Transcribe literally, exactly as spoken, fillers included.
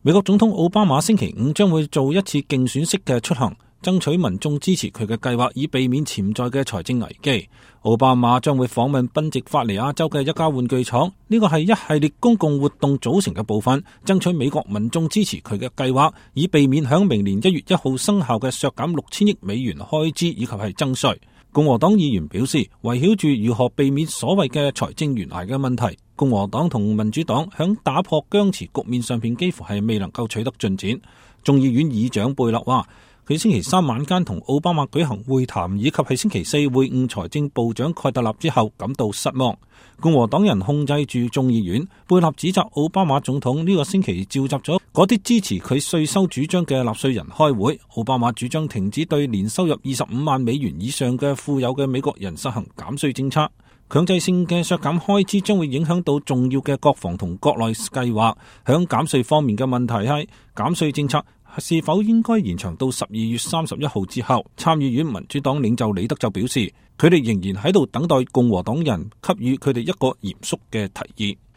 美國總統奧巴馬星期五將會做一次競選式嘅出行，爭取民眾支持佢嘅計劃，以避免潛在嘅財政危機。奧巴馬將會訪問賓夕法尼亞州嘅一家玩具廠，呢個係一系列公共活動組成嘅部分，爭取美國民眾支持佢嘅計劃，以避免響明年一月一號生效嘅削減六千億美元開支以及係增稅。共和黨議員表示，圍繞住如何避免所謂嘅財政懸崖嘅問題，共和黨同民主黨響打破僵持局面上邊幾乎係未能夠取得進展。眾議院議長貝勒話，佢星期三晚間同奧巴馬舉行會談，以及喺星期四會晤財政部長蓋特納之後感到失望。共和黨人控制住眾議院，貝勒指責奧巴馬總統呢個星期召集咗嗰啲支持佢稅收主張嘅納稅人開會。奧巴馬主張停止對年收入二十五萬美元以上嘅富有嘅美國人實行減稅政策，強制性嘅削減開支將會影響到重要嘅國防同國內計劃。響減稅方面嘅問題係減稅政策是否應該延長到十二月三十一號之後？參議院民主黨領袖李德就表示，佢哋仍然喺度等待共和黨人給予佢哋一個嚴肅嘅提議。